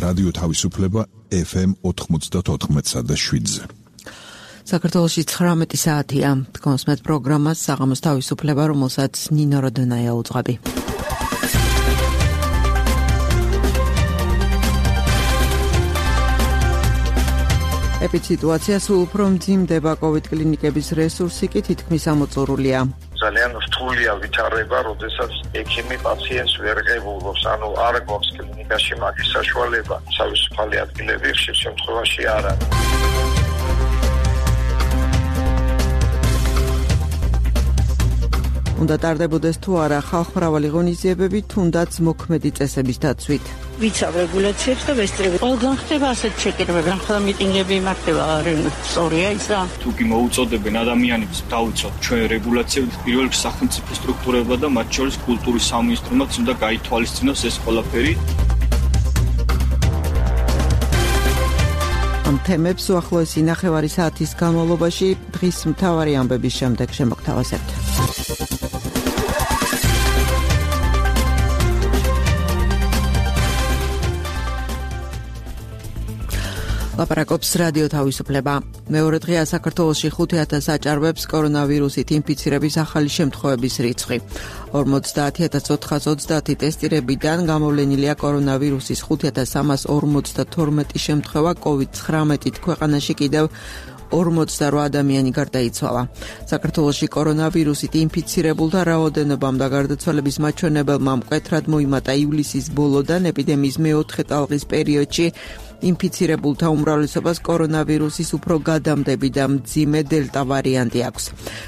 რადიო თავისუფლება FM 94.7-ზე. საქართველოში 19 საათია. კონსმეთ პროგრამას საღამოს თავისუფლება, რომელსაც ნინო როდონაია უძღვები. ეპიდემიოლოგია სულ უფრო მძიმდება COVID კლინიკების რესურსი კი თითქმის ამოწურულია. ძალიან რთულია ვითარება, როდესაც ექიმი პაციენტს ვერ ღებულობს, ანუ არ გვაქვს კლინიკაში მაგის საშუალება. თავისუფალი ადგილები ხშირ შემთხვევაში არ არის. უნდა ტარდებოდეს თუ არა ხალხმრავალი ღონისძიებები, თუნდაც მოქმედი წესების დაცვით. ვიცავ რეგულაციებს და ვესწრები. ყველგან ხდება ასეთ შეკრებები, ახლა მიტინგები იმართება, სწორია ის რა. თუ კი მოუწოდებენ ადამიანებს დავიცოთ ჩვენ რეგულაციებს, პირველ რიგში სახელმწიფო სტრუქტურებმა და მათ შორის კულტურის სამინისტრომაც უნდა გაითვალისწინოს ეს ყველაფერი. ამ თემებს უახლოესი ნახევარი საათის განმავლობაში დღის მთავარი ამბების შემდეგ შემოგთავაზებთ. ლაპარაკობს რადიო თავისუფლება. მეორე დღეა საქართველოში 5,000 აჭარბებს კორონავირუსით ინფიცირების ახალი შემთხვევების რიცხვი. 50,430 ტესტირებიდან გამოვლენილია კორონავირუსის 5,352 შემთხვევა, COVID-19-ით ქვეყანაში კიდევ 48 ადამიანი გარდაიცვალა. საქართველოში კორონავირუსით ინფიცირებულთა რაოდენობამ და გარდაცვალების მაჩვენებელმა მკვეთრად მოიმატა ივლისის ბოლოდან ეპიდემიის მეოთხე ტალღის პერიოდში. ინფიცირებულთა უმრავლესობას კორონავირუსის უფრო გადამდები და მძიმე დელტა ვარიანტი აქვს.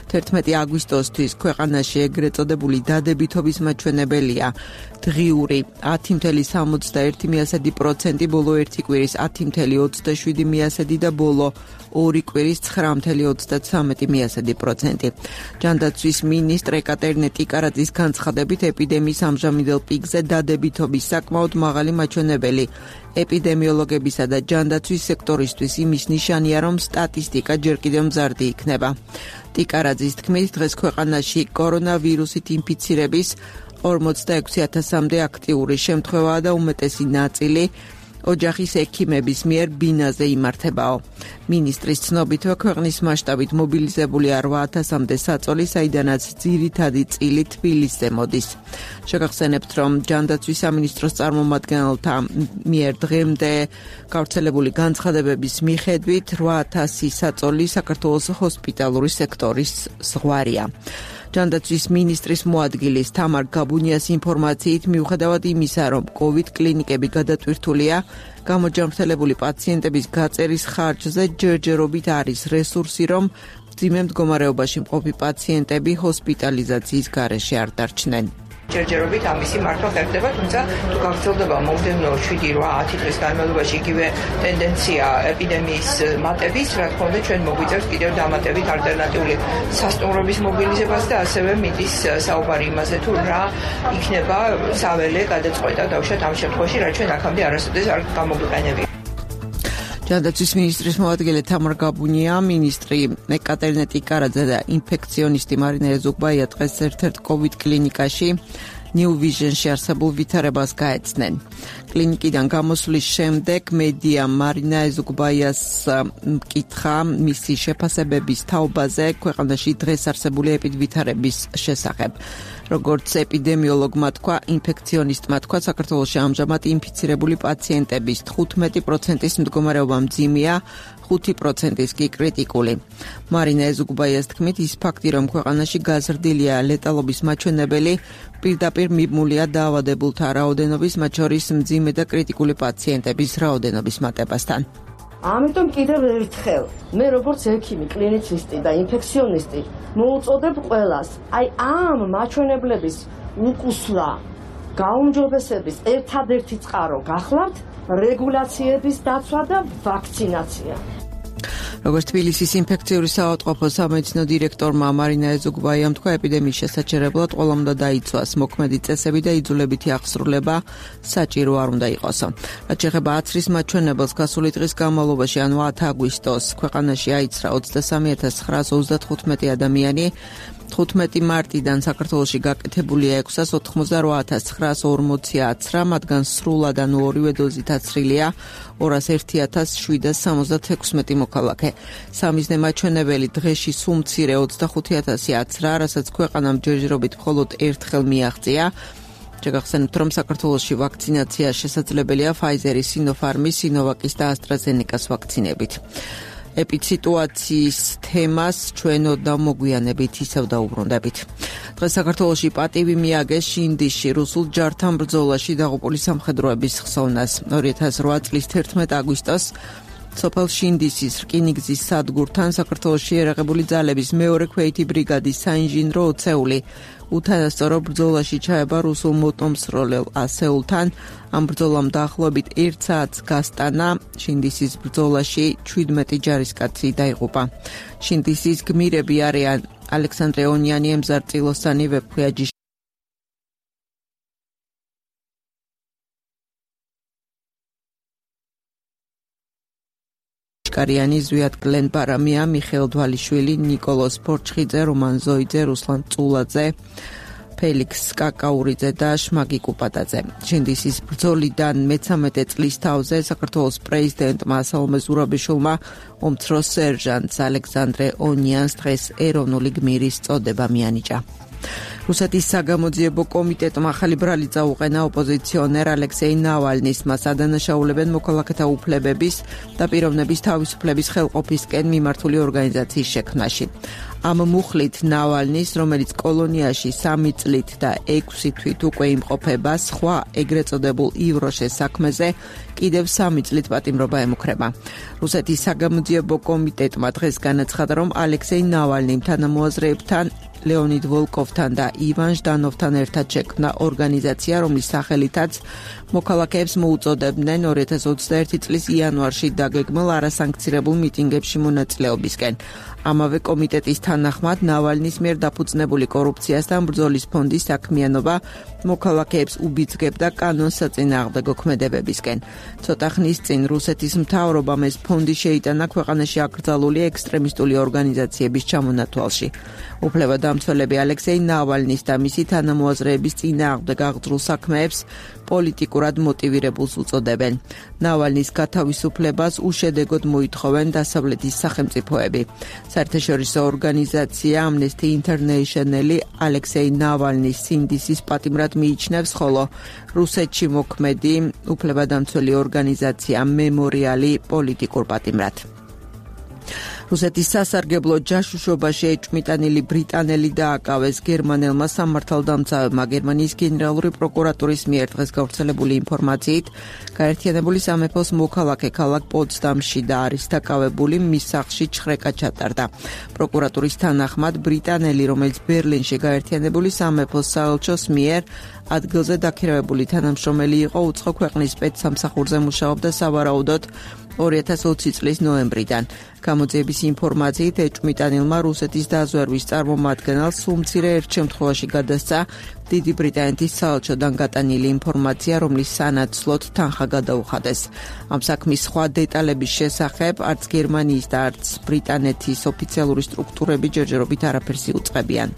11 აგვისტოსთვის ქვეყანაში ეგრეთ წოდებული დადებითობის მაჩვენებელია დღიური 10,61%, ბოლო ერთი კვირის 10,27% და ბოლო ორი კვირის 9,33%. ჯანდაცვის მინისტრ ეკატერინე ტიკარაძის განცხადებით ეპიდემიის ამჟამინდელ პიკზე დადებითობის საკმაოდ მაღალი მაჩვენებელი ეპიდემიოლოგებისა და ჯანდაცვის სექტორისთვის იმის ნიშანია, რომ სტატისტიკა ჯერ კიდევ მზარდი იქნება. ტიკარაძის თქმით, დღეს ქვეყანაში კორონავირუსით ინფიცირების 46,000-მდე აქტიური შემთხვევაა და უმეტესი ნაწილი ოჯახის ექიმების მიერ ბინაზე იმართებაო. მინისტრის ცნობითვე ქვეყნის მასშტაბით მობილიზებულია 8,000-მდე საწოლი, საიდანაც ძირითადი წილი თბილისზე მოდის. შეგახსენებთ, რომ ჯანდაცვის სამინისტროს წარმომადგენელთა მიერ დღემდე გავრცელებული განცხადებების მიხედვით 8,000 საწოლი საქართველოს ჰოსპიტალური სექტორის ზღვარია. ჯანდაცვის მინისტრის მოადგილის თამარ გაბუნიას ინფორმაციით, მიუხედავად იმისა, რომ COVID კლინიკები გადატვირთულია, გამოჯანმრთელებული პაციენტების გაწერის ხარჯზე ჯერჯერობით არის რესურსი, რომ მძიმე მდგომარეობაში მყოფი პაციენტები ჰოსპიტალიზაციის გარეშე არ დარჩნენ. ჯერჯერობით ამისი მართვა ხერხდება, თუმცა თუ გაგრძელდება მომდევნო 7-8 დღის განმავლობაში იგივე ტენდენცია ეპიდემიის მატების, რა თქმა უნდა, ჩვენ მოგვიწევს კიდევ დამატებით ალტერნატიული სასტუმრობის მობილიზებას და ასევე მიდის საუბარი იმაზე, თუ რა იქნება საველე გადაწყვეტა დავუშვათ ამ შემთხვევაში, რაც ჩვენ აქამდე არასოდეს არ გამოგვიყენებია. ჯანდაცვის მინისტრის მოადგილე თამარ გაბუნია, მინისტრი ეკატერინე ტიკარაძე და ინფექციონისტი მარინა ეზუგბაია დღეს ერთ-ერთ COVID კლინიკაში New Vision-ში არსებულ ვითარებას გაეცნენ. კლინიკიდან გამოსვლის შემდეგ მედია მარინა ეზუგბაიას მკითხა მისი შეფასებების თაობაზე ქვეყანაში დღეს არსებული ეპიდვითარების შესახებ. როგორც ეპიდემიოლოგმა თქვა, ინფექციონისტმა თქვა, საქართველოში ამჟამად ინფიცირებული პაციენტების 15%-ის მდგომარეობა მძიმეა, 5%-ის კი კრიტიკული. მარინა ეზუგბაიას თქმით, ის ფაქტი, რომ ქვეყანაში გაზრდილია ლეტალობის მაჩვენებელი, პირდაპირ მიბმულია დაავადებულთა რაოდენობის, მათ შორის მძიმე და კრიტიკული პაციენტების რაოდენობის მატებასთან. ამიტომ კიდევ ერთხელ მე როგორც ექიმი, კლინიცისტი და ინფექციონისტი მოუწოდებ ყველას, ამ მაჩვენებლების უკუსვრა, გაუმჯობესების ერთადერთი წყარო გახლავთ რეგულაციების დაცვა და ვაქცინაცია. როგორც თბილისის ინფექციური საავადმყოფო სამედიცინო დირექტორმა მარინა ეზუგბაიამ თქვა, ეპიდემიის შესაჩერებლად ყველამ უნდა დაიცვას მოქმედი წესები და იძულებითი აღსრულება საჭირო არ უნდა იყოს. რაც შეეხება აცრის მაჩვენებელს, გასული დღის განმავლობაში, ანუ 10 აგვისტოს, ქვეყანაში აიცრა 23,935 ადამიანი. 15 მარტიდან საქართველოში გაკეთებულია 688,940 აცრა, მათგან სრულად ანუ ორივე დოზით აცრილია 201,776 მოქალაქე. სამიზნე მაჩვენებელი დღეში სულ მცირე 25,000 აცრა, რასაც ქვეყანამ ჯერჯერობით მხოლოდ ერთხელ მიაღწია. შეგახსენებთ, რომ საქართველოში ვაქცინაცია შესაძლებელია Pfizer-ის, Sinopharm-ის, Sinovac-ის და AstraZeneca-ს ვაქცინებით. ეპიდემიის თემას ჩვენ ოდნავ მოგვიანებით ისევ დაუბრუნდებით. დღეს საქართველოში პატივი მიაგეს შინდისში რუსულ ჯართან ბრძოლაში დაღუპული სამხედროების ხსოვნას. 2008 წლის 11 აგვისტოს სოფელ შინდისის რკინიგზის სადგურთან საქართველოში ერაღებული ძალების მეორე ქვეითი ბრიგადის საინჟინრო ოცეული უთანასწორო ბრძოლაში ჩაება რუსულ მოტომსროლელ ასეულთან. ამ ბრძოლამ დაახლოებით 1 საათს გასტანა. შინდისის ბრძოლაში 17 ჯარისკაცი დაიღუპა. შინდისის გმირები არიან ალექსანდრე ონიანი, ემზარ წილოსანი, ვეფხვიაჯი კარიანი, ზვიად გლენ ბარამია, მიხეილ დვალიშვილი, ნიკოლოზ ფორჩხიძე, რომან ზოიძე, რუსლან წულაძე, ფელიქს კაკაურიძე და შმაგი კუპატაძე. შინდისის ბრძოლიდან 13 წლის თავზე საქართველოს პრეზიდენტმა სალომე ზურაბიშვილმა ომცრო სერჟანტს ალექსანდრე ონიანს დღეს ეროვნული გმირის წოდება მიანიჭა. რუსეთის საგამოძიებო კომიტეტმა ახალი ბრალი წაუყენა ოპოზიციონერ ალექსეი ნავალნის, მას ადანაშაულებენ მოქალაქეთა უფლებების და პიროვნების თავისუფლების ხელყოფისკენ მიმართული ორგანიზაციის შექმნაში. ამ მუხლით ნავალნის, რომელიც კოლონიაში 3 წლით და 6 თვით უკვე იმყოფება, სხვა ეგრეთ წოდებულ ივროშეს საქმეზე კიდევ 3 წლით პატიმრობა ემუქრება. რუსეთის საგამოძიებო კომიტეტმა დღეს განაცხადა, რომ ალექსეი ნავალნიმ თანამოაზრეებთან ლეონიდ ვოლკოვთან და ივან ჟდანოვთან ერთად შექმნა ორგანიზაცია, რომლის სახელითაც მოქალაქეებს მოუწოდებდნენ 2021 წლის იანვარში დაგეგმილ არასანქცირებულ მიტინგებში მონაწილეობისკენ. ამავე კომიტეტის თანახმად ნავალნის მიერ დაფუძნებული კორუფციასთან ბრძოლის ფონდის საქმიანობა მოქალაქეებს უბიძგებდა კანონსაწინააღმდეგო ქმედებებისკენ. ცოტა ხნის წინ რუსეთის მთავრობამ ეს ფონდი შეიტანა ქვეყანაში აკრძალული ექსტრემისტული ორგანიზაციების ჩამონათვალში. უფლებადამცველები ალექსეი ნავალნის და მისი თანამოაზრეების წინააღმდეგ აღძრულ საქმეებს პოლიტიკურად მოტივირებულს უწოდებენ. ნავალნის გათავისუფლებას უშედეგოდ მოითხოვენ დასავლეთის სახელმწიფოები. საერთაშორისო ორგანიზაცია Amnesty International ალექსეი ნავალნის სინდისის პატიმრად მიიჩნევს, ხოლო რუსეთში მოქმედი უფლებადამცველი ორგანიზაცია მემორიალი პოლიტიკურ პატიმრად. რუსეთის სასარგებლო ჯაშუშობაში ეჭვმიტანილი ბრიტანელი დააკავეს გერმანელმა სამართალდამცავებმა. გერმანიის გენერალური პროკურატურის მიერ დღეს გავრცელებული ინფორმაციით, გაერთიანებული სამეფოს მოქალაქე ქალაქ პოტსდამში და არის დაკავებული, მის სახლში ჩხრეკა ჩატარდა. პროკურატურის თანახმად ბრიტანელი, რომელიც ბერლინში გაერთიანებული სამეფოს საელჩოს მიერ ადგილზე დაქირავებული თანამშრომელი იყო, უცხო ქვეყნის სპეცსამსახურზე მუშაობდა სავარაუდოდ 2020 წლის ნოემბრიდან. გამოძიების ინფორმაციით ეჭვმიტანილმა რუსეთის დაზვერვის წარმომადგენელს სულ მცირე ერთ შემთხვევაში გადასცა დიდი ბრიტანეთის საელჩოდან გატანილი ინფორმაცია, რომლის სანაცვლოდ თანხა გადაუხადეს. ამ საქმის სხვა დეტალების შესახებ არც გერმანიის და არც ბრიტანეთის ოფიციალური სტრუქტურები ჯერჯერობით არაფერს იუწყებიან.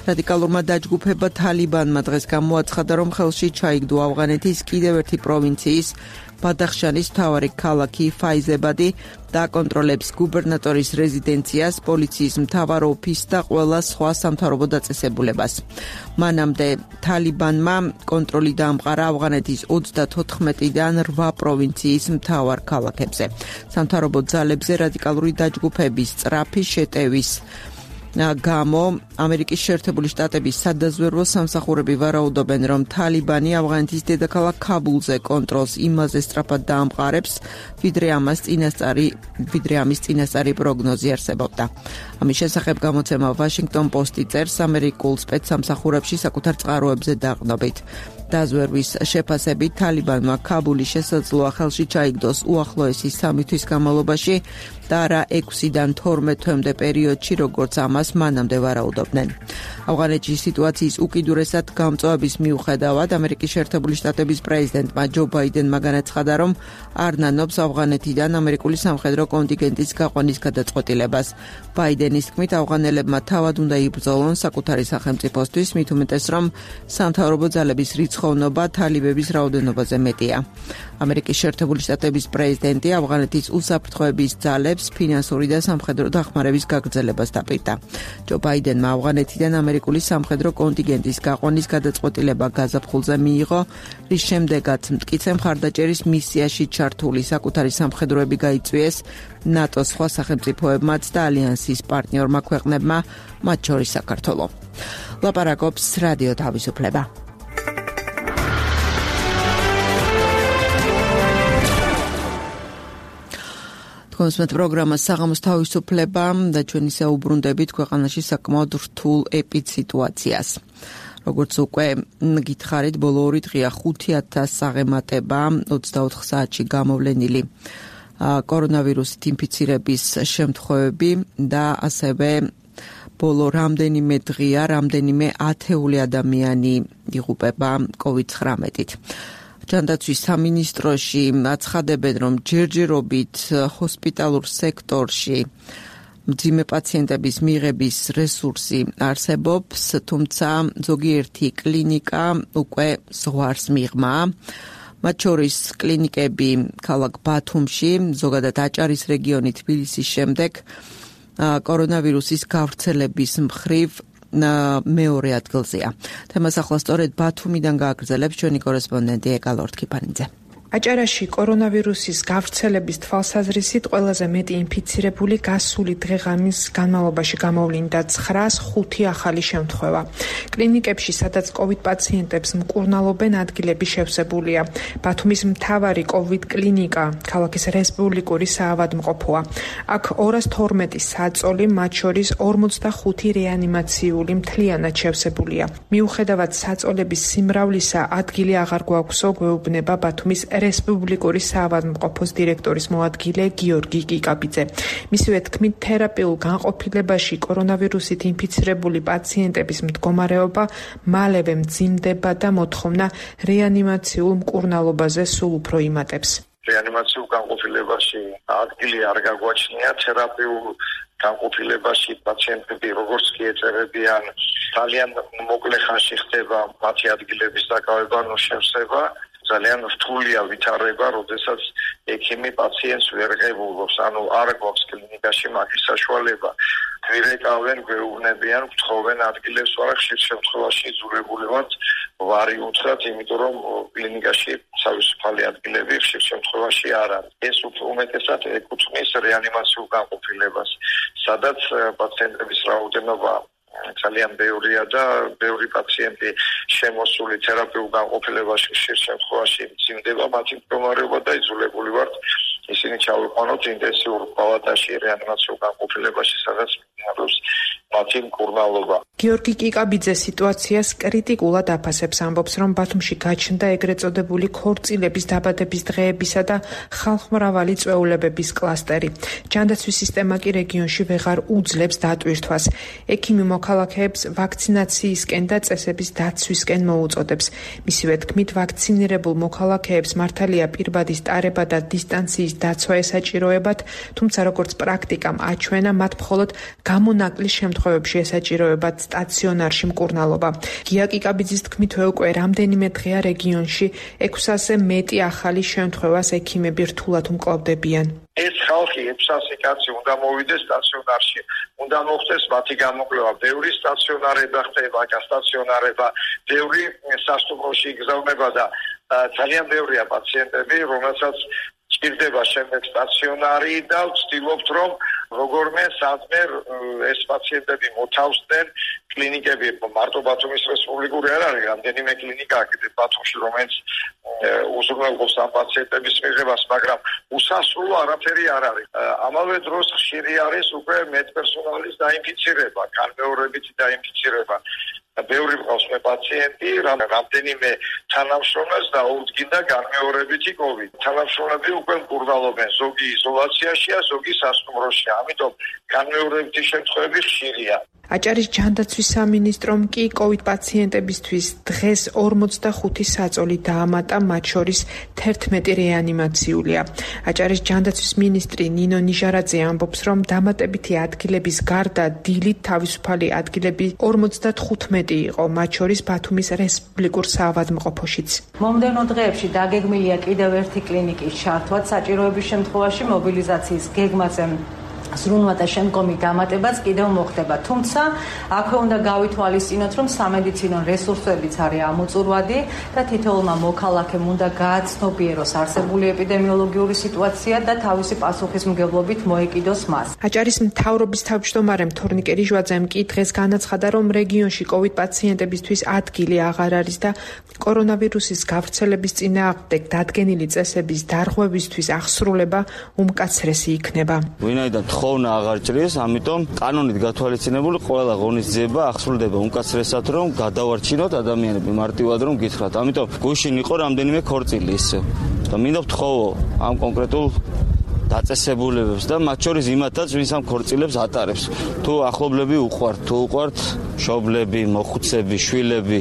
რადიკალურმა დაჯგუფება თალიბანმა დღეს გამოაცხადა, რომ ხელში ჩაიგდო ავღანეთის კიდევ ერთი პროვინციის ბადახშანის მთავარი ქალაქი ფაიზებადი და აკონტროლებს გუბერნატორის რეზიდენციას, პოლიციის მთავარ ოფისს და ყველა სხვა სამთავრობო დაწესებულებას. მანამდე თალიბანმა კონტროლი დაამყარა ავღანეთის 34-დან 8 პროვინციის მთავარ ქალაქებზე. სამთავრობო ძალებზე რადიკალური დაჯგუფების სწრაფი შეტევის გამო ამერიკის შეერთებული შტატების სადაზვერვო სამსახურები ვარაუდობენ, რომ თალიბანი ავღანეთის დედაქალაქ ქაბულზე კონტროლს იმაზე სწრაფად დაამყარებს, ვიდრე ამის წინასწარი პროგნოზი არსებობდა. ამის შესახებ გამოცემა Washington Post-ი წერს ამერიკულ სპეცსამსახურებში საკუთარ წყაროებზე დაყრდნობით. დაზვერვის შეფასებით თალიბანმა ქაბულის შესაძლოა ხელში ჩაიგდოს უახლოესი 3 თვის განმავლობაში და არა 6-დან 12 თვემდე პერიოდში, როგორც ამას მანამდე ვარაუდობდნენ. ავღანეთში სიტუაციის უკიდურესად გამწვავების მიუხედავად ამერიკის შეერთებული შტატების პრეზიდენტმა ჯო ბაიდენმა განაცხადა, რომ არ ნანობს ავღანეთიდან ამერიკული სამხედრო კონტინგენტის გაყვანის გადაწყვეტილებას. ბაიდენის თქმით, ავღანელებმა თავად უნდა იბრძოლონ საკუთარი სახელმწიფოსთვის, მით უმეტეს, რომ სამთავრობო ძალების რიცხოვნობა თალიბების რაოდენობაზე მეტია. ამერიკის შეერთებული შტატების პრეზიდენტი ავღანეთის უსაფრთხოების ძალებს ფინანსური და სამხედრო დახმარების გაგრძელებას დაპირდა. ჯო ბაიდენმა ავღანეთიდან ამერიკული სამხედრო კონტინგენტის გაყვანის გადაწყვეტილება გაზაფხულზე მიიღო, რის შემდეგაც მტკიცე მხარდაჭერის მისიაში ჩართული საკუთარი სამხედროები გაიწვიეს ნატოს სხვა სახელმწიფოებმაც და ალიანსის პარტნიორმა ქვეყნებმა, მათ შორის საქართველო. ლაპარაკობს რადიო თავისუფლება. კონსმეთ პროგრამა საღამოს თავისუფლება და ჩვენ ისე უბრუნდებით ქვეყანაში საკმაოდ რთულ ეპიდსიტუაციას. როგორც უკვე გითხარით, ბოლო 2 დღეა 5000 აღემატება 24 საათში გამოვლენილი კორონავირუსით ინფიცირების შემთხვევები და ასევე ბოლო რამდენიმე დღეა რამდენიმე ათეული ადამიანი იღუპება COVID-19-ით. ჯანდაცვის სამინისტროში აცხადებენ, რომ ჯერჯერობით ჰოსპიტალურ სექტორში მძიმე პაციენტების მიღების რესურსი არსებობს, თუმცა ზოგიერთი კლინიკა უკვე ზღვარს მიღმა. მათ შორის კლინიკები ქალაქ ბათუმში, ზოგადად აჭარის რეგიონი თბილისის შემდეგ კორონავირუსის გავრცელების მხრივ მეორე ადგილზეა. თემას ახლა სწორედ ბათუმიდან გააგრძელებს ჩვენი კორესპონდენტი ეკალორთ ქიფანიძე. აჭარაში კორონავირუსის გავრცელების თვალსაზრისით ყველაზე მეტი ინფიცირებული გასული დღე-ღამის განმავლობაში გამოვლინდა 905 ახალი შემთხვევა. კლინიკებში, სადაც COVID პაციენტებს მკურნალობენ, ადგილები შევსებულია. ბათუმის მთავარი COVID კლინიკა ქალაქის რესპუბლიკური საავადმყოფოა. აქ 212 საწოლი, მათ შორის 45 რეანიმაციული მთლიანად შევსებულია. მიუხედავად საწოლების სიმრავლისა, ადგილი აღარ გვაქვსო, გვეუბნება ბათუმის რესპუბლიკური საავადმყოფოს დირექტორის მოადგილე გიორგი კიკაბიძე. მისივე თქმით, თერაპიულ განყოფილებაში კორონავირუსით ინფიცირებული პაციენტების მდგომარეობა მალევე მძიმდება და მოთხოვნა რეანიმაციულ მკურნალობაზე სულ უფრო იმატებს. რეანიმაციულ განყოფილებაში ადგილი არ გაგვაჩნია, თერაპიულ განყოფილებაში პაციენტები როგორც კი ეწერებიან, ძალიან მოკლე ხანში ხდება მათი ადგილების დაკავება, შევსება. ძალიან რთულია ვითარება, როდესაც ექიმი პაციენტს ვერ ღებულობს, ანუ არ გვაქვს კლინიკაში მაგის საშუალება. გვირეკავენ, გვეუბნებიან, გთხოვენ ადგილებს, მაგრამ ხშირ შემთხვევაში იძულებული ვართ ვარი უთხრათ, იმიტომ რომ კლინიკაში თავისუფალი ადგილები ხშირ შემთხვევაში არ არის. ეს უმეტესად ეკუთვნის რეანიმაციულ განყოფილებას, სადაც პაციენტების რაოდენობა ძალიან ბევრია და ბევრი პაციენტი შემოსული თერაპიულ განყოფილებაში ხშირ შემთხვევაში მძიმდება მათი მდგომარეობა და იძულებული ვართ ისინი ჩავიყვანოთ ინტენსიურ პალატაში რეანიმაციულ განყოფილებაში, სადაც მიმდინარეობს მათი მკურნალობა. გიორგი კიკაბიძე სიტუაციას კრიტიკულად აფასებს, ამბობს, რომ ბათუმში გაჩნდა ეგრეთ წოდებული ქორწილების დაბადების დღეებისა და ხალხმრავალი წვეულებების კლასტერი. ჯანდაცვის სისტემა კი რეგიონში ვეღარ უძლებს დატვირთვას. ექიმი მოქალაქეებს ვაქცინაციისკენ და წესების დაცვისკენ მოუწოდებს. მისივე თქმით, ვაქცინირებულ მოქალაქეებს მართალია პირბადის ტარება და დისტანციის დაცვა ესაჭიროებათ, თუმცა როგორც პრაქტიკამ აჩვენა, მათ მხოლოდ გამონაკლის შემთხვევებში ესაჭიროებათ სტაციონარში მკურნალობა. გია კიკაბიძის თქმით, უკვე რამდენიმე დღეა რეგიონში 600-ზე მეტი ახალი შემთხვევას ექიმები რთულად უმკლავდებიან. ეს ხალხი 600 კაცი უნდა მოვიდეს სტაციონარში, უნდა მოხდეს მათი გამოკვლევა. ბევრი სტაციონარება ხდება, გასტაციონარება, ბევრი სასტუმროში იგზავნება და ძალიან ბევრია პაციენტები, რომელსაც ჭირდება შემდეგ სტაციონარი და ვცდილობთ, რომ როგორმე სადმე ეს პაციენტები მოთავსდნენ კლინიკები, მარტო ბათუმის რესპუბლიკური არ არის, რამდენიმე კლინიკა აქ ბათუმში, რომელიც უზრუნველყოფს ამ პაციენტების მიღებას, მაგრამ უსასრულო არაფერი არ არის. ამავე დროს ხშირი არის უკვე მედპერსონალის დაინფიცირება, განმეორებითი დაინფიცირება. ბევრი მყავს მე პაციენტი, რამდენიმე თანამშრომელს დაუდგინდა განმეორებითი COVID. თანამშრომლები უკვე მკურნალობენ, ზოგი იზოლაციაშია, ზოგი სასტუმროშია, ამიტომ განმეორებითი შემთხვევები ხშირია. აჭარის ჯანდაცვის სამინისტრომ კი COVID პაციენტებისთვის დღეს 45 საწოლი დაამატა, მათ შორის 11 რეანიმაციულია. აჭარის ჯანდაცვის მინისტრი ნინო ნიჟარაძე ამბობს, რომ დამატებითი ადგილების გარდა დილით თავისუფალი ადგილები 55 იყო, მათ შორის ბათუმის რესპუბლიკურ საავადმყოფოშიც. მომდევნო დღეებში დაგეგმილია კიდევ ერთი კლინიკის ჩართვა, საჭიროების შემთხვევაში მობილიზაციის გეგმაზე ზრუნვა და შემდგომი დამატებაც კიდევ მოხდება. თუმცა აქვე უნდა გავითვალისწინოთ, რომ სამედიცინო რესურსებიც არის ამოწურვადი და თითოეულმა მოქალაქემ უნდა გააცნობიეროს არსებული ეპიდემიოლოგიური სიტუაცია და თავისი პასუხისმგებლობით მოეკიდოს მას. აჭარის მთავრობის თავმჯდომარე თორნიკე რიჟვაძემ კი დღეს განაცხადა, რომ რეგიონში COVID პაციენტებისთვის ადგილი აღარ არის და კორონავირუსის გავრცელების წინააღმდეგ დადგენილი წესების დარღვევისთვის აღსრულება უმკაცრესი იქნება. ვინაიდან ხოვნა აღარ ჭრის, ამიტომ კანონით გათვალისწინებული ყველა ღონისძიება აღსრულდება უმკაცრესად, რომ გადავარჩინოთ ადამიანები მარტივად რომ გითხრათ. ამიტომ გუშინ იყო რამდენიმე ქორწილი ისე. და მინდა ვთხოვო ამ კონკრეტულ დაწესებულებებს და მათ შორის იმათაც, ვინც ამ ქორწილებს ატარებს. თუ ახლობლები უყვართ, თუ უყვართ მშობლები, მოხუცები, შვილები,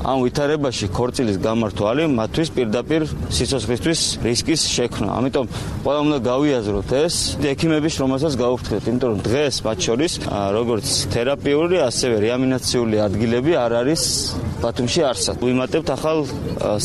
ამ ვითარებაში ქორწილის გამართვალი მათთვის პირდაპირ სიცოცხლისთვის რისკის შექმნა. ამიტომ ყველა უნდა გავიაზროთ ეს ექიმების შრომასაც გავუფრთხილეთ, იმიტომ რომ დღეს მათ შორის როგორც თერაპიული, ასევე რეანიმაციული ადგილები არ არის ბათუმში არსად. ვიმატებთ ახალ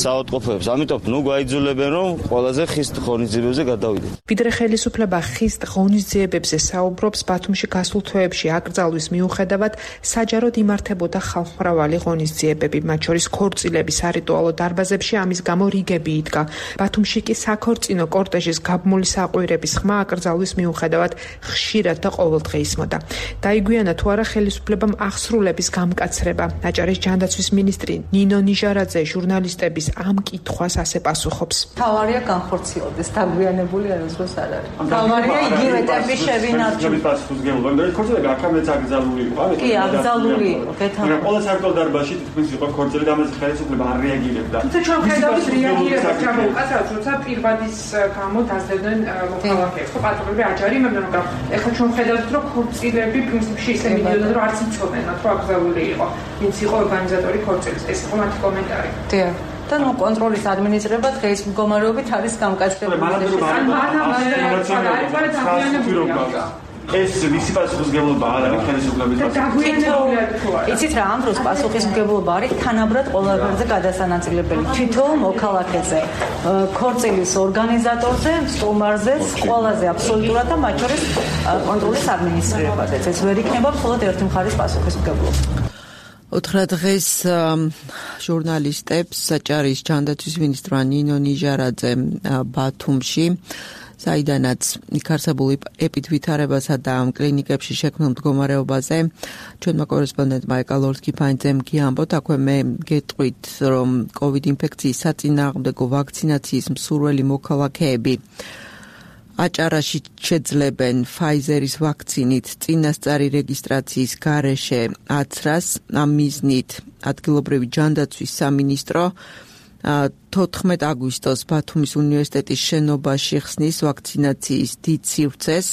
საავადმყოფოებს. ამიტომ ნუ გაიძულებენ რომ ყველაზე ხის ღონისძიებებზე გადავიდეთ. ვიდრე ხელისუფლება ხის ღონისძიებებზე საუბრობს, ბათუმში გასულ თვეებში აკრძალვის მიუხედავად საჯაროდ იმართებოდა ხალხმრავალი ღონისძიებები, მათ შორის ქორწილების სარიტუალო დარბაზებში, ამის გამო რიგები იდგა. ბათუმში კი საქორწინო კორტეჟის გაბმული საყვირების ხმა აკრძალვის მიუხედავად ხშირად და ყოველდღე ისმოდა. დაიგვიანა თუ არა ხელისუფლებამ აღსრულების გამკაცრება. აჭარის ჯანდაცვის მინისტრი ნინო ნიჟარაძე ჟურნალისტების ამ კითხვას ასე პასუხობს. თავარია განხორციელდეს, დაგვიანებული არასდროს არ არის. თავარია იგივე ტემპი შევინარჩუნოთ. ქორწილი აქამდეც აკრძალული იყო. კი, აკრძალული იყო. მაგრამ ყველა სარიტუალო დარბაზში თითქმის იყო ქორწილი. ამაზე ხელისუფლება არ რეაგირებდა. თუმცა ჩვენ ხედავთ რეაგირებას ჩამოუყალიბდა, როცა პირვადის გამო დაძლებდნენ მოქალაქეებს. ხო, პატრონები აჯარი, მაგრამ ეხლა ჩვენ ხედავთ, რომ ქორწილები პრინციპში ისე მიდიოდნენ, რომ არც იცოდნენ, რომ აკრძალული იყო. ვინც იყო ორგანიზატორი ქორწილის. ეს იყო მათი კომენტარი. დიახ. და ნუ კონტროლის ადმინისტრება დღეს მდგომარეობით არის გამკაცრებული. ეს ვისი პასუხისმგებლობა არის ხელისუფლების პასუხისმგებლობა? იცით რა, ამ დროს პასუხისმგებლობა არის თანაბრად ყველა გვერდზე გადასანაწილებელი. თითოეულ მოქალაქეზე, ქორწილის ორგანიზატორზე, სტუმარზე, ყველაზე აბსოლუტურად და მათ შორის კონტროლის ადმინისტრირებაზეც. ეს ვერ იქნება მხოლოდ ერთი მხარის პასუხისმგებლობა. უთხრა დღეს ჟურნალისტებს აჭარის ჯანდაცვის მინისტრმა ნინო ნიჟარაძე ბათუმში, საიდანაც იქ არსებულ ეპიდვითარებასა და კლინიკებში შექმნილ მდგომარეობაზე ჩვენმა კორესპონდენტმა ეკალორსკიფანძემ გიამბოთ, აქვე მე გეტყვით, რომ COVID ინფექციის საწინააღმდეგო ვაქცინაციის მსურველი მოქალაქეები აჭარაში შეძლებენ Pfizer-ის ვაქცინით წინასწარი რეგისტრაციის გარეშე აცრას. ამ მიზნით ადგილობრივი ჯანდაცვის სამინისტრო 14 აგვისტოს ბათუმის უნივერსიტეტის შენობაში ხსნის ვაქცინაციის დიდ სივრცეს.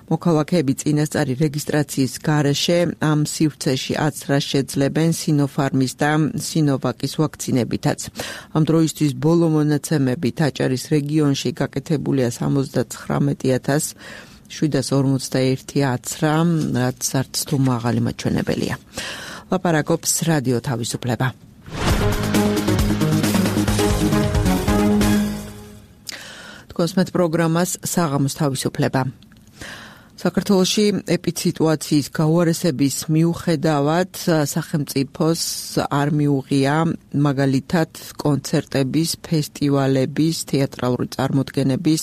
მოქალაქეები წინასწარი რეგისტრაციის გარეშე ამ სივრცეში აცრას შეძლებენ Sinopharm-ის და Sinovac-ის ვაქცინებითაც. ამ დროისთვის ბოლო მონაცემებით აჭარის რეგიონში გაკეთებულია 79,741 აცრა, რაც არც თუ მაღალი მაჩვენებელია. ლაპარაკობს რადიო თავისუფლება. კოსმეთ პროგრამას საღამოს თავისუფლება. საქართველოში ეპიდსიტუაციის გაუარესების მიუხედავად სახელმწიფოს არ მიუღია მაგალითად კონცერტების, ფესტივალების, თეატრალური წარმოდგენების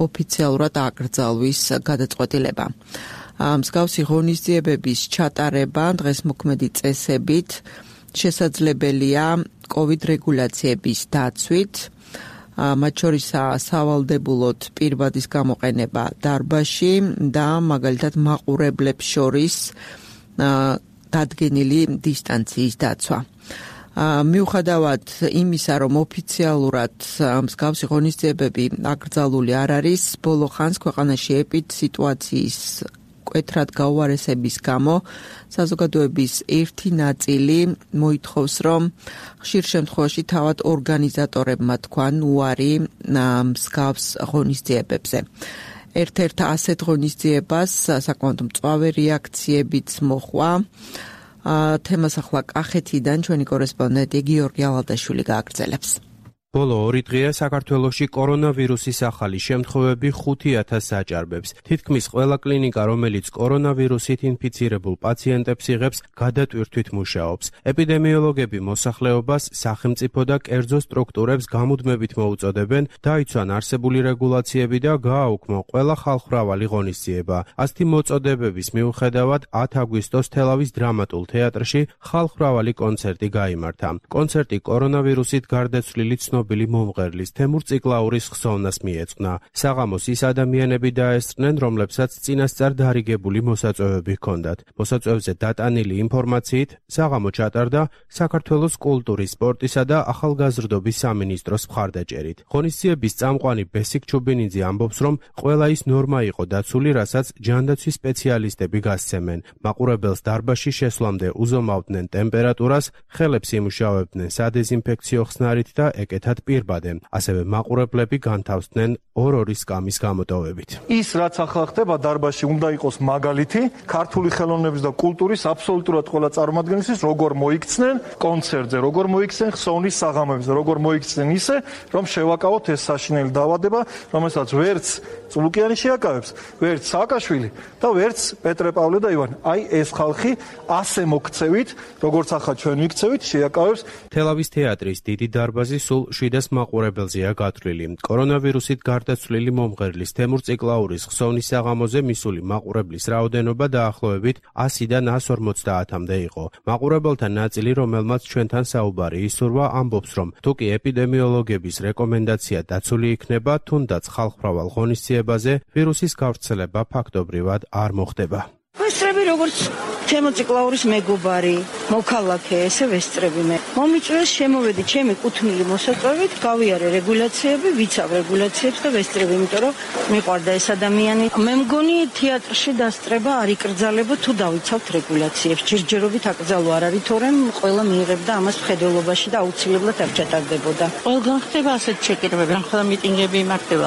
ოფიციალურად აკრძალვის გადაწყვეტილება. მსგავსი ღონისძიებების ჩატარება დღეს მოქმედი წესებით შესაძლებელია COVID რეგულაციების დაცვით. მათ შორის სავალდებულოდ პირვადის გამოყენება დარბაზში და მაგალითად მაყურებლებს შორის დადგენილი დისტანციის დაცვა. მიუხედავად იმისა, რომ ოფიციალურად მსგავსი ღონისძიებები აკრძალული არ არის, ბოლო ხანს ქვეყანაში სიტუაციის მკვეთრად გაუარესების გამო საზოგადოების ერთი ნაწილი მოითხოვს, რომ ხშირ შემთხვევაში თავად ორგანიზატორებმა თქვან უარი მსგავს ღონისძიებებზე. ერთ-ერთ ასეთ ღონისძიებას საკმაოდ მწვავე რეაქციებიც მოჰყვა. თემას ახლა კახეთიდან ჩვენი კორესპონდენტი გიორგი ალადაშვილი გააგრძელებს. ბოლო 2 დღეა საქართველოში კორონავირუსის ახალი შემთხვევები 5000 აჭარბებს. თითქმის ყველა კლინიკა, რომელიც კორონავირუსით ინფიცირებულ პაციენტებს იღებს, გადატვირთვით მუშაობს. ეპიდემიოლოგები მოსახლეობას, სახელმწიფო და კერძო სტრუქტურებს გამუდმებით მოუწოდებენ, დაიცვან არსებული რეგულაციები და გააუქმო ყველა ხალხმრავალი ღონისძიება. ასეთი მოწოდებების მიუხედავად 10 აგვისტოს თელავის დრამატულ თეატრში ხალხმრავალი კონცერტი გაიმართა. კონცერტი კორონავირუსით გარდაცვლილი ცნობილი მომღერლის თემურ ციკლაურის ხსოვნას მიეძღვნა. საღამოს ის ადამიანები დაესწრნენ, რომლებსაც წინასწარ დარიგებული მოსაწვევები ჰქონდათ. მოსაწვევზე დატანილი ინფორმაციით საღამო ჩატარდა საქართველოს კულტურის, სპორტისა და ახალგაზრდობის სამინისტროს მხარდაჭერით. ღონისძიების წამყვანი ბესიკ ჩუბინიძე ამბობს, რომ ყველა ის ნორმა იყო დაცული, რასაც ჯანდაცვის სპეციალისტები გასცემენ. მაყურებელს დარბაზში შესვლამდე უზომავდნენ ტემპერატურას, ხელებს იმუშავებდნენ სადეზინფექციო ხსნარით და ეკეთათ პირბადე. ასევე მაყურებლები განთავსდნენ 2-2 სკამის გამოტოვებით. ის რაც ახლა ხდება დარბაზში უნდა იყოს მაგალითი ქართული ხელოვნების და კულტურის აბსოლუტურად ყველა წარმომადგენლისთვის, როგორ მოიქცნენ კონცერტზე, როგორ მოიქცნენ ხსოვნის საღამოებზე, როგორ მოიქცნენ ისე, რომ შევაკავოთ ეს საშინელი დაავადება, რომელსაც ვერც წულუკიანი შეაკავებს, ვერც სააკაშვილი და ვერც პეტრე პავლე და ივანე. აი ეს ხალხი ასე მოქცევით, როგორც ახლა ჩვენ ვიქცევით, შეაკავებს. თელავის თეატრის დიდი დარბაზი სულ 700 მაყურებელზეა გათვლილი. კორონავირუსით გარდაცვლილი მომღერლის თემურ ციკლაურის ხსოვნის საღამოზე მისული მაყურებლის რაოდენობა დაახლოებით 100-დან 150-მდე იყო. მაყურებელთა ნაწილი, რომელმაც ჩვენთან საუბარი ისურვა, ამბობს, რომ თუკი ეპიდემიოლოგების რეკომენდაცია დაცული იქნება, თუნდაც ხალხმრავალ ღონისძიებაზე ვირუსის გავრცელება ფაქტობრივად არ მოხდება. ვესწრები როგორც თემოციკლაურის მეგობარი, მოქალაქე, ესე ვესწრები მე. მომიწვიეს შემოვედი ჩემი კუთვნილი მოსაწვევით, გავიარე რეგულაციები, ვიცავ რეგულაციებს და ვესწრები, იმიტომ რომ მიყვარდა ეს ადამიანი. მე მგონი თეატრში დასწრება არ იკრძალებო თუ დავიცავთ რეგულაციებს. ჯერჯერობით აკრძალო არ არის, თორემ ყველა მიიღებდა ამას მხედველობაში და აუცილებლად არ ჩატარდებოდა. ყველგან ხდება ასეთ ჩეკირებები, რამხელა მიტინგები იმართება,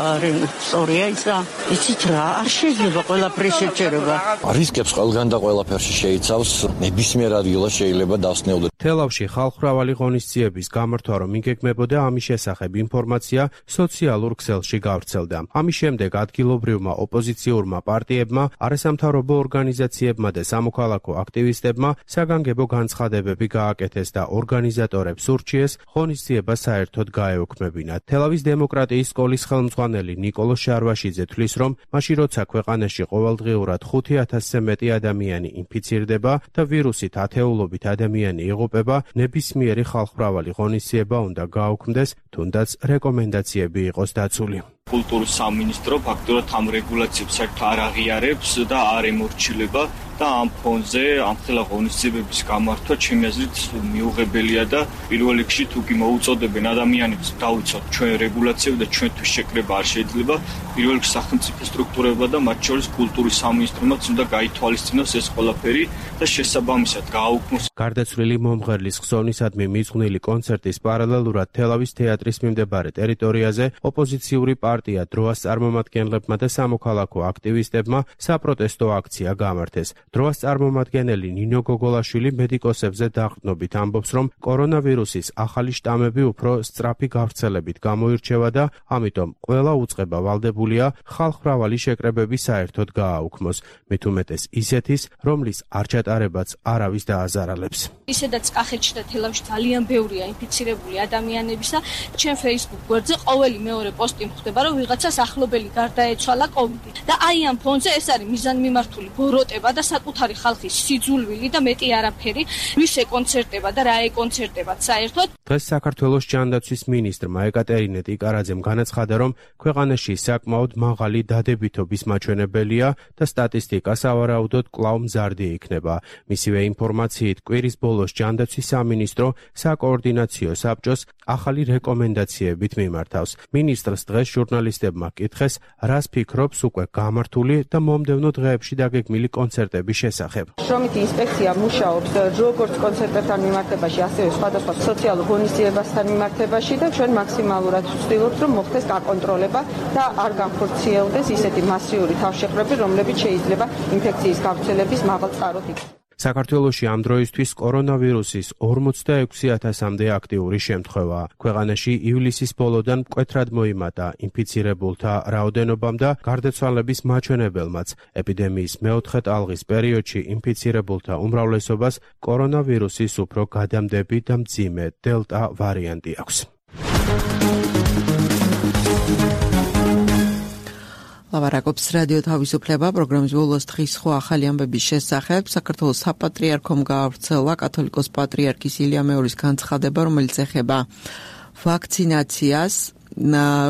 სწორია ისა. იცით რა, არ შეიძლება ყველაფერი შეჭერება. რისკებს ყველგან და ყველაფერში შეიცავს, ნებისმიერ ადგილას შეიძლება დასნეულდეს. თელავში ხალხმრავალი ღონისძიების გამართვა რომ იგეგმებოდა, ამის შესახებ ინფორმაცია სოციალურ ქსელში გავრცელდა. ამის შემდეგ ადგილობრივმა ოპოზიციურმა პარტიებმა, არასამთავრობო ორგანიზაციებმა და სამოქალაქო აქტივისტებმა საგანგებო განცხადებები გააკეთეს და ორგანიზატორებს ურჩიეს ღონისძიება საერთოდ გაეუქმებინათ. თელავის დემოკრატიის სკოლის ხელმძღვანელი ნიკოლო შარვაშიძე თვლის, რომ მაშინ როცა ქვეყანაში ყოველდღიურად 5000-ზე მეტი ადამიანი ინფიცირდება და ვირუსით ათეულობით ადამიანი იღუპება, ნებისმიერი ხალხმრავალი ღონისძიება უნდა გაუქმდეს, თუნდაც რეკომენდაციები იყოს დაცული. კულტურის სამინისტრო ფაქტობრივად ამ რეგულაციებს საერთოდ არ აღიარებს და არ ემორჩილება და ამ ფონზე ამ ხელა ღონისძიებების გამართვა ჩემი აზრით მიუღებელია და პირველ რიგში თუ კი მოუწოდებენ ადამიანებს დავიცოთ ჩვენ რეგულაციები და ჩვენთვის შეკრება არ შეიძლება, პირველ რიგში სახელმწიფო სტრუქტურებმა და მათ შორის კულტურის სამინისტრომაც უნდა გაითვალისწინოს ეს ყველაფერი და შესაბამისად გააუქმოს. გარდაცვლილი მომღერლის ხსოვნისადმი მიძღვნილი კონცერტის პარალელურად თელავის თეატრის მიმდებარე ტერიტორიაზე ოპოზიციური პარტია დროას წარმომადგენლებმა და სამოქალაქო აქტივისტებმა საპროტესტო აქცია გამართეს. დროას წარმომადგენელი ნინო გოგოლაშვილი მედიკოსებზე დაყრდნობით ამბობს, რომ კორონავირუსის ახალი შტამები უფრო სწრაფი გავრცელებით გამოირჩევა და ამიტომ ყველა უწყება ვალდებულია ხალხმრავალი შეკრებები საერთოდ გააუქმოს. მით უმეტეს ისეთის, რომლის არ ჩატარებაც არავის დააზარალებს. ისედაც კახეთში და თელავში ძალიან ბევრია ინფიცირებული ადამიანებისა. ჩვენ Facebook გვერდზე ყოველი მეორე პოსტი მხდება, რომ ვიღაცას ახლობელი გარდაეცვალა COVID. და აი ამ ფონზე ეს არის მიზანმიმართული ბოროტება და საკუთარი ხალხის სიძულვილი და მეტი არაფერი ვის ეკონცერტება და რა ეკონცერტებათ საერთოდ. დღეს საქართველოს ჯანდაცვის მინისტრმა ეკატერინე ტიკარაძემ განაცხადა, რომ ქვეყანაში საკმაოდ მაღალი დადებითობის მაჩვენებელია და სტატისტიკა სავარაუდოდ კვლავ მზარდი იქნება. მისივე ინფორმაციით, კვირის ბოლოს ჯანდაცვის სამინისტრო საკოორდინაციო საბჭოს ახალი რეკომენდაციებით მიმართავს. მინისტრს დღეს ჟურნალისტებმა კითხეს, რას ფიქრობს უკვე გამართული და მომდევნო დღეებში დაგეგმილი კონცერტების შესახებ. შრომითი ინსპექცია მუშაობს როგორც კონცერტებთან მიმართებაში, ასევე სხვადასხვა სოციალურ ღონისძიებასთან მიმართებაში და ჩვენ მაქსიმალურად ვცდილობთ, რომ მოხდეს გაკონტროლება და არ განხორციელდეს ისეთი მასიური თავშეყრები, რომლებიც შეიძლება ინფექციის გავრცელების მაღალ წყაროდ იქნას. საქართველოში ამ დროისთვის კორონავირუსის 46,000-მდე აქტიური შემთხვევაა. ქვეყანაში ივლისის ბოლოდან მკვეთრად მოიმატა ინფიცირებულთა რაოდენობამ და გარდაცვალების მაჩვენებელმაც. ეპიდემიის მეოთხე ტალღის პერიოდში ინფიცირებულთა უმრავლესობას კორონავირუსის უფრო გადამდები და მძიმე დელტა ვარიანტი აქვს. ლავარაკობს რადიო თავისუფლება პროგრამის ბოლოს დღის სხვა ახალი ამბების შესახებ. საქართველოს საპატრიარქომ გაავრცელა კათოლიკოს პატრიარქის ილია მეორის განცხადება, რომელიც ეხება ვაქცინაციას.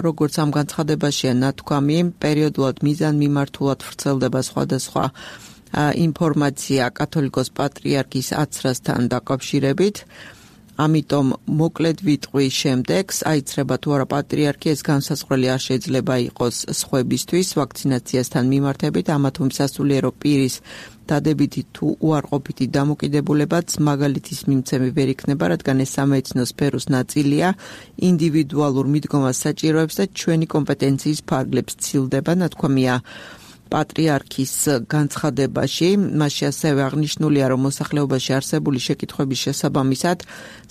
როგორც ამ განცხადებაშია ნათქვამი, პერიოდულად მიზანმიმართულად ვრცელდება სხვადასხვა ინფორმაცია კათოლიკოს პატრიარქის აცრასთან დაკავშირებით. ამიტომ მოკლედ ვიტყვი შემდეგს, აიცრება თუ არა პატრიარქი, ეს განსაზღვრელი არ შეიძლება იყოს სხვებისთვის ვაქცინაციასთან მიმართებით, ამა თუ სასულიერო პირის დადებითი თუ უარყოფითი დამოკიდებულებაც მაგალითის მიმცემი ვერ იქნება, რადგან ეს სამედიცინო სფეროს ნაწილია, ინდივიდუალურ მიდგომას საჭიროებს და ჩვენი კომპეტენციის ფარგლებს ცილდება, ნათქვამია პატრიარქის განცხადებაში. მასში ასევე აღნიშნულია, რომ მოსახლეობაში არსებული შეკითხვების შესაბამისად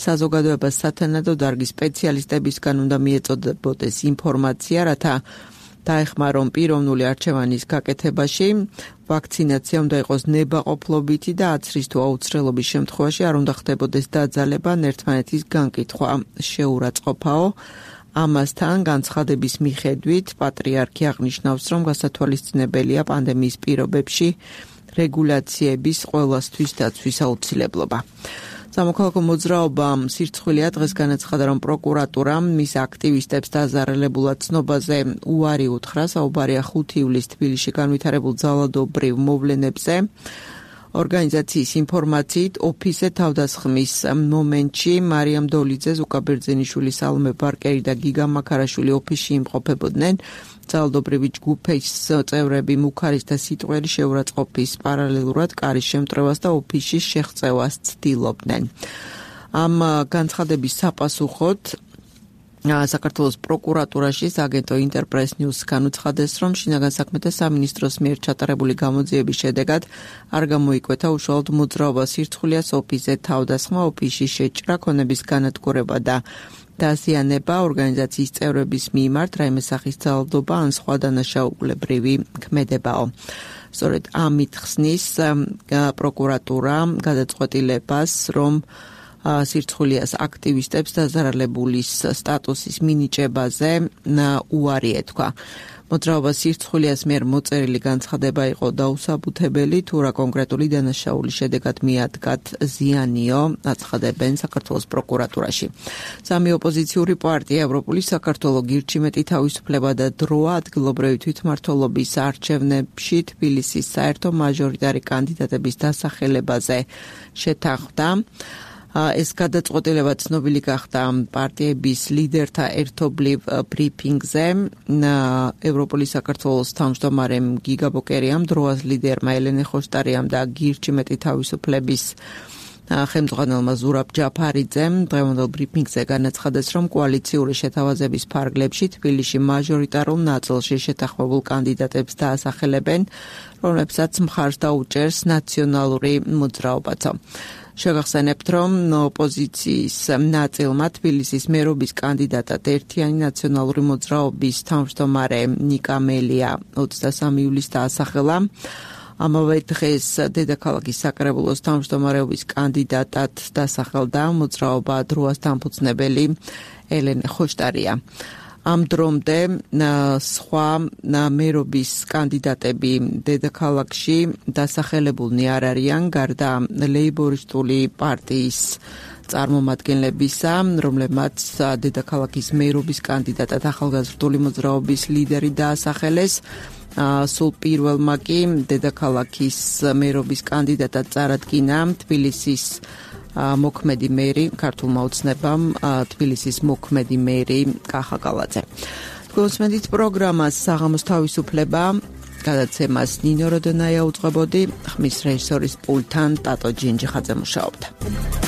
საზოგადოებას სათანადო დარგის სპეციალისტებისგან უნდა მიეწოდებოდეს ინფორმაცია, რათა დაეხმარონ პიროვნული არჩევანის გაკეთებაში. ვაქცინაცია უნდა იყოს ნებაყოფლობითი და აცრის თუ აუცილებლობის შემთხვევაში არ უნდა ხდებოდეს დაძალება, ერთმანეთის განკითხვა შეურაცხყოფაო. ამასთან განცხადების მიხედვით პატრიარქი აღნიშნავს, რომ გასათვალისწინებელია პანდემიის პირობებში რეგულაციების ყველასთვის დაცვის აუცილებლობა. სამოქალაქო მოძრაობამ სირცხვილია დღეს განაცხადა, რომ პროკურატურამ მის აქტივისტებს დაზარალებულად ცნობაზე უარი უთხრა. საუბარია 5 ივლისს თბილისში განვითარებულ ძალადობრივ მოვლენებზე. ორგანიზაციის ინფორმაციით, ოფისზე თავდასხმის მომენტში მარიამ დოლიძე, ზუკა ბერძენიშვილი, სალომე ბარკერი და გიგა მაქარაშვილი ოფისში იმყოფებოდნენ. ძალადობრივი ჯგუფის წევრები მუქარის და სიტყველი შეურაცხყოფის პარალელურად კარის შემტრევას და ოფისში შეღწევას ცდილობდნენ. ამ განცხადების საპასუხოდ საქართველოს პროკურატურაში აგენტო ინტერპრეს ნიუს განუცხადეს, რომ შინაგან საქმეთა სამინისტროს მიერ ჩატარებული გამოძიების შედეგად არ გამოიკვეთა უშუალოდ მოძრაობას სირცხვილიას ოფისზე თავდასხმა, ოფისში შეჭრა, ქონების განადგურება და დაზიანება ორგანიზაციის წევრების მიმართ რაიმე სახის ძალადობა ან სხვა დანაშაულებრივი ქმედებაო. სწორედ ამით ხსნის პროკურატურა გადაწყვეტილებას, რომ სირცხვილიას აქტივისტებს დაზარალებულის სტატუსის მინიჭებაზე უარი ეთქვა. მოძრაობა სირცხვილიას მიერ მოწერილი განცხადება იყო დაუსაბუთებელი, თუ რა კონკრეტული დანაშაულის შედეგად მიადგათ ზიანიო, აცხადებენ საქართველოს პროკურატურაში. სამი ოპოზიციური პარტია ევროპული საქართველო, გირჩიმეტი თავისუფლება და დროა ადგილობრივი თვითმმართველობის არჩევნებში თბილისის საერთო მაჟორიტარი კანდიდატების დასახელებაზე შეთანხმდა. ეს გადაწყვეტილება ცნობილი გახდა პარტიების ლიდერთა ერთობლივ ბრიფინგზე. ევროპული საქართველოს თავმჯდომარემ გიგა ბოკერიამ, დროას ლიდერმა ელენე ხოშტარიამ და გირჩიმეტი თავისუფლების ხელმძღვანელმა ზურაბ ჯაფარიძემ დღევანდელ ბრიფინგზე განაცხადეს, რომ კოალიციური შეთავაზების ფარგლებში თბილისში მაჟორიტარულ ნაწილში შეთანხმებულ კანდიდატებს დაასახელებენ, რომლებსაც მხარს დაუჭერს ნაციონალური მოძრაობაც. შეგახსენებთ, რომ ოპოზიციის ნაწილმა თბილისის მერობის კანდიდატად ერთიანი ნაციონალური მოძრაობის თავმჯდომარე ნიკა მელია 23 ივლისს დაასახელა. ამავე დღეს დედაქალაქის საკრებულოს თავმჯდომარეობის კანდიდატად დასახელდა მოძრაობა დროას დამფუძნებელი ელენე ხოშტარია. ამ დრომდე სხვა მერობის კანდიდატები დედაქალაქში დასახელებულნი არ არიან, გარდა ლეიბორისტული პარტიის წარმომადგენლებისა, რომლებმაც დედაქალაქის მერობის კანდიდატად ახალგაზრდული მოძრაობის ლიდერი დაასახელეს. სულ პირველმა კი დედაქალაქის მერობის კანდიდატად წარადგინა თბილისის მოქმედი მერი, ქართულმა ოცნებამ თბილისის მოქმედი მერი კახა კალაძე. გულწრფელით პროგრამას საღამოს თავისუფლება გადაცემას ნინო როდონაია უძღვებოდი, ხმის რეჟისორის პულტთან ტატო ჯინჯიხაძე მუშაობდა.